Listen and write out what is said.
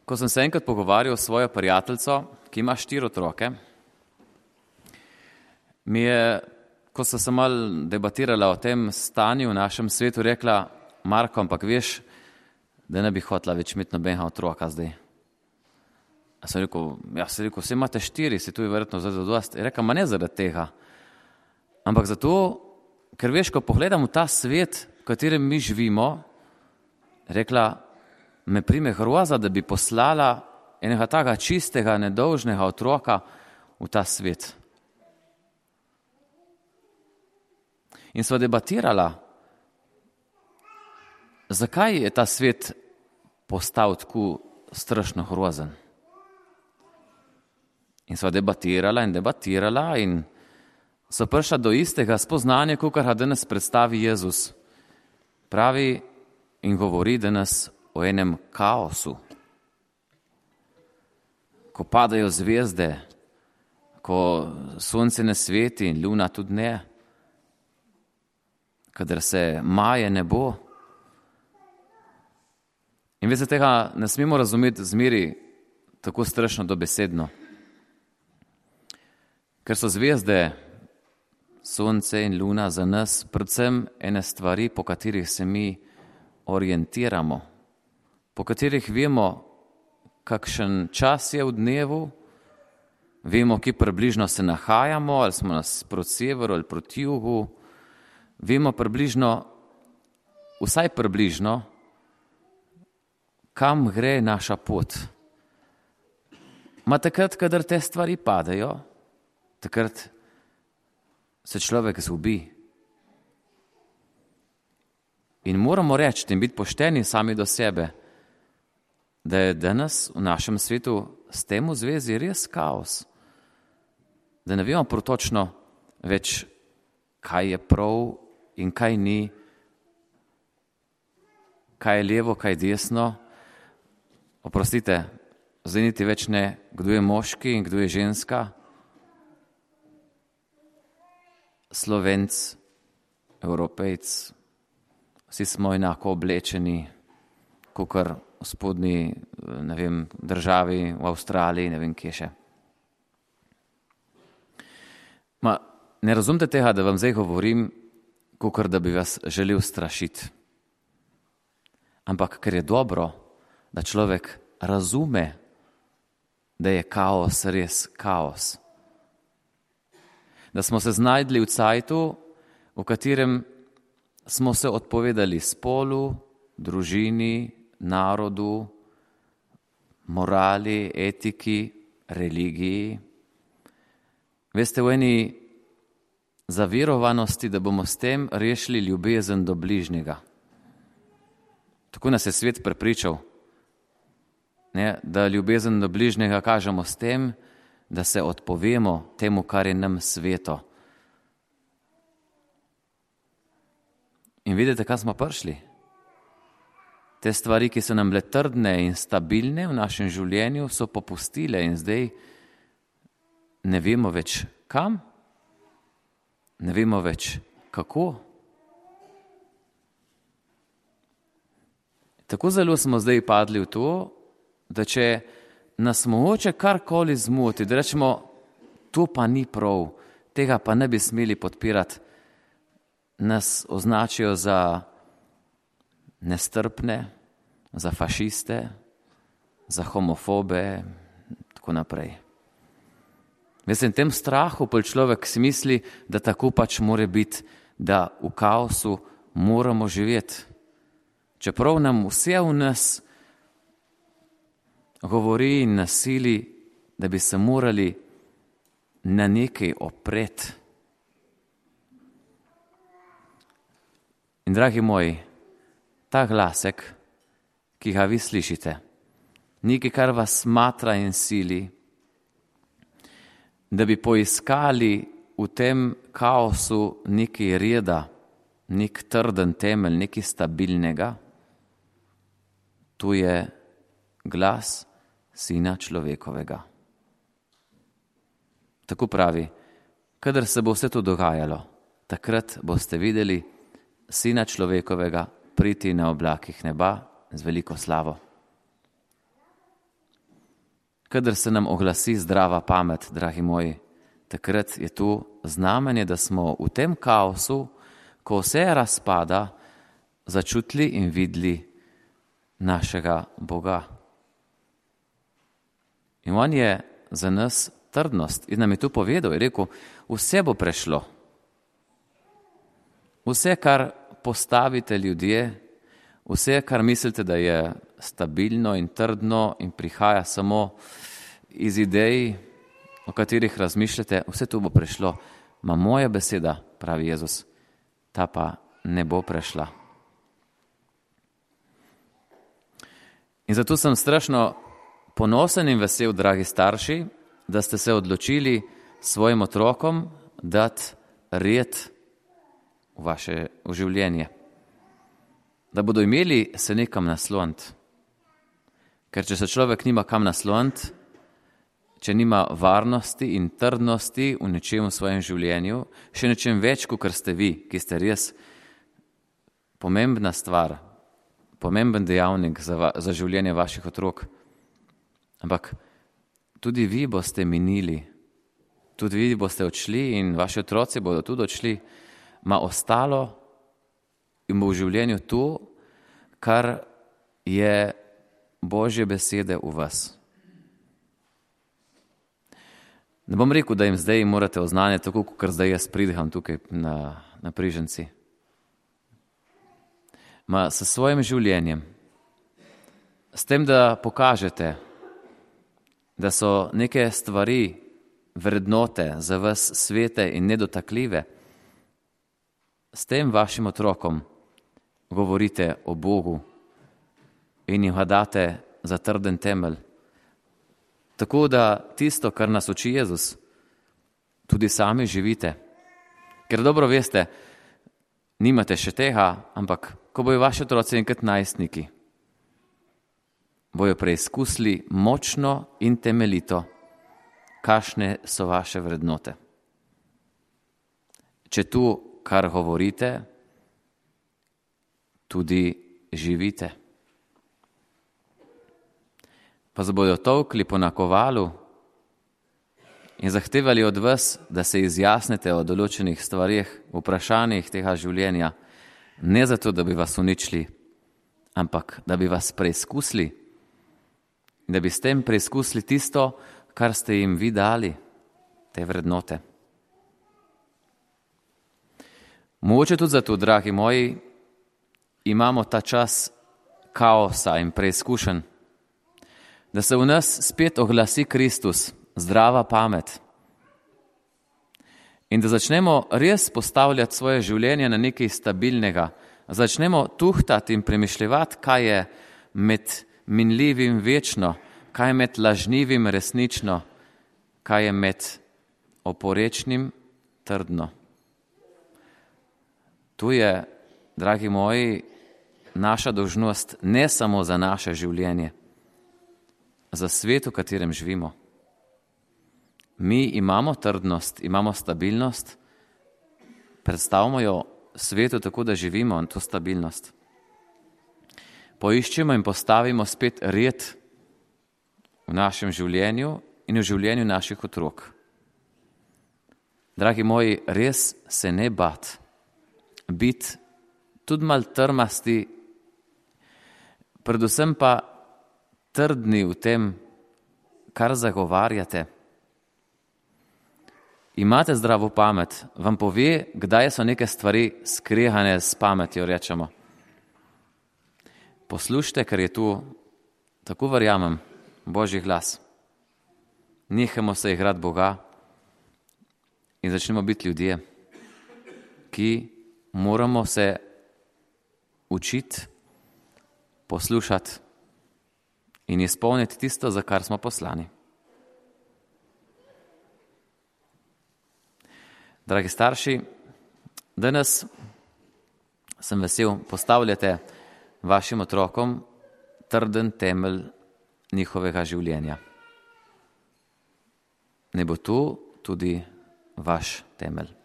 Ko sem se enkrat pogovarjal s svojo prijateljico, ki ima 4 otroke, mi je, ko so se malo debatirala o tem stanju v našem svetu, rekla: Marko, ampak veš, da ne bi hotela več imeti nobenega otroka zdaj. A sem rekel, vse imate 4, si tu je verjetno zadost. Je rekla, ma ne zaradi tega, ampak zato, ker veš, ko pogledam v ta svet, v katerem mi živimo, rekla, me prime groza, da bi poslala enega takega čistega, nedolžnega otroka v ta svet. In sva debatirala, zakaj je ta svet postal tako strašno grozen. In sva debatirala in so prišla do istega spoznanja, kakor ga danes predstavi Jezus. Pravi in govori danes o enem kaosu. Ko padajo zvezde, ko sonce ne sveti in luna tudi ne, kadar se maje nebo. In veste, tega ne smemo razumeti zmeri tako strašno dobesedno. Ker so zvezde, sonce in luna za nas predvsem ene stvari, po katerih se mi orientiramo, po katerih vemo, kakšen čas je v dnevu, vemo, kje približno se nahajamo, ali smo proti severu ali proti jugu, vemo vsaj približno, kam gre naša pot. Ma takrat, kadar te stvari padajo, takrat se človek zgubi. In moramo reči in biti pošteni sami do sebe, da je danes v našem svetu s tem v zvezi res kaos. Da ne vemo točno več, kaj je prav in kaj ni, kaj je levo, kaj je desno. Oprostite, zdaj niti več ne, kdo je moški in kdo je ženska. Slovenc, Evropejc, vsi smo enako oblečeni, kakor v spodnji, državi, v Avstraliji, ne vem kje še. Ne razumete tega, da vam zdaj govorim, kakor da bi vas želel strašiti. Ampak ker je dobro, da človek razume, da je kaos res kaos. Da smo se znajdli v cajtu, v katerem smo se odpovedali spolu, družini, narodu, morali, etiki, religiji. Veste, v eni zaverovanosti, da bomo s tem rešili ljubezen do bližnjega. Tako nas je svet prepričal, da ljubezen do bližnjega kažemo s tem, da se odpovemo temu, kar je nam sveto. In vidite, kaj smo prišli? Te stvari, ki so nam bile trdne in stabilne v našem življenju, so popustile in zdaj ne vemo več kam, ne vemo več kako. Tako zelo smo zdaj padli v to, da če nas mogoče karkoli zmoti, da rečemo, to pa ni prav, tega pa ne bi smeli podpirati, nas označijo za nestrpne, za fašiste, za homofobe, tako naprej. Veste, v tem strahu pa človek si misli, da tako pač mora biti, da v kaosu moramo živeti. Čeprav nam vse v nas govori in nasili, da bi se morali na nekaj opreti. In dragi moji, ta glasek, ki ga vi slišite, nekaj, kar vas smatra in sili, da bi poiskali v tem kaosu nekaj reda, nek trden temelj, nekaj stabilnega, tu je glas Sina človekovega. Tako pravi, kadar se bo vse to dogajalo, takrat boste videli Sina človekovega priti na oblakih neba z veliko slavo. kadar se nam oglasi zdrava pamet, dragi moji, takrat je tu znamenje, da smo v tem kaosu, ko vse razpada, začutili in videli našega Boga. In on je za nas trdnost in nam je tu povedal, je rekel, vse bo prešlo. Vse, kar postavite ljudje, vse, kar mislite, da je stabilno in trdno in prihaja samo iz idej, o katerih razmišljate, vse to bo prešlo. Ma moja beseda, pravi Jezus, ta pa ne bo prešla. In zato sem strašno ponosen in vesel, dragi starši, da ste se odločili svojim otrokom dati red v življenje. Da bodo imeli se nekam nasloniti. Ker če se človek nima kam nasloniti, če nima varnosti in trdnosti v nečem v svojem življenju, še nečem več, kot ste vi, ki ste res pomembna stvar, pomemben dejavnik za življenje vaših otrok. Ampak tudi vi boste minili, tudi vi boste odšli in vaši otroci bodo tudi odšli, ma ostalo in bo v življenju to, kar je Božje besede v vas. Ne bom rekel, da jim zdaj morate oznanjati, tako kot zdaj jaz pridiham tukaj na Priženci. Ma s svojim življenjem, s tem, da pokažete, da so neke stvari, vrednote za vas svete in nedotakljive, s tem vašim otrokom govorite o Bogu in jim ga date za trden temelj. Tako da tisto, kar nas uči Jezus, tudi sami živite. Ker dobro veste, nimate še tega, ampak ko bojo vaši otroci enkrat najstniki, bojo preizkusili močno in temeljito, kakšne so vaše vrednote. Če tu, kar govorite, tudi živite. Pa se bodo tolkli po nakovalu in zahtevali od vas, da se izjasnite o določenih stvarih, vprašanjih tega življenja, ne zato, da bi vas uničili, ampak da bi vas preizkusili, da bi s tem preizkusili tisto, kar ste jim vi dali, te vrednote. Mogoče tudi zato, dragi moji, imamo ta čas kaosa in preizkušenj, da se v nas spet oglasi Kristus, zdrava pamet. In da začnemo res postavljati svoje življenje na nekaj stabilnega. Začnemo tuhtati in premišljevati, kaj je med minljivim večno, kaj je med lažnivim resnično, kaj je med oporečnim trdno. Tu je, dragi moji, naša dolžnost ne samo za naše življenje, za svet, v katerem živimo. Mi imamo trdnost, imamo stabilnost, predstavimo jo svetu tako, da živimo to stabilnost. Poiščemo in postavimo spet red v našem življenju in v življenju naših otrok. Dragi moji, res se ne bati, biti tudi malo trmasti, predvsem pa trdni v tem, kar zagovarjate. Imate zdravo pamet, vam pove, kdaj so neke stvari skregane s pametjo, rečemo. Poslušajte, ker je tu, tako verjamem, Božji glas. Nehajmo se igrati Boga in začnemo biti ljudje, ki moramo se učiti, poslušati in izpolniti tisto, za kar smo poslani. Dragi starši, danes sem vesel, postavljate vašim otrokom trden temelj njihovega življenja. Ne bo tu tudi vaš temelj.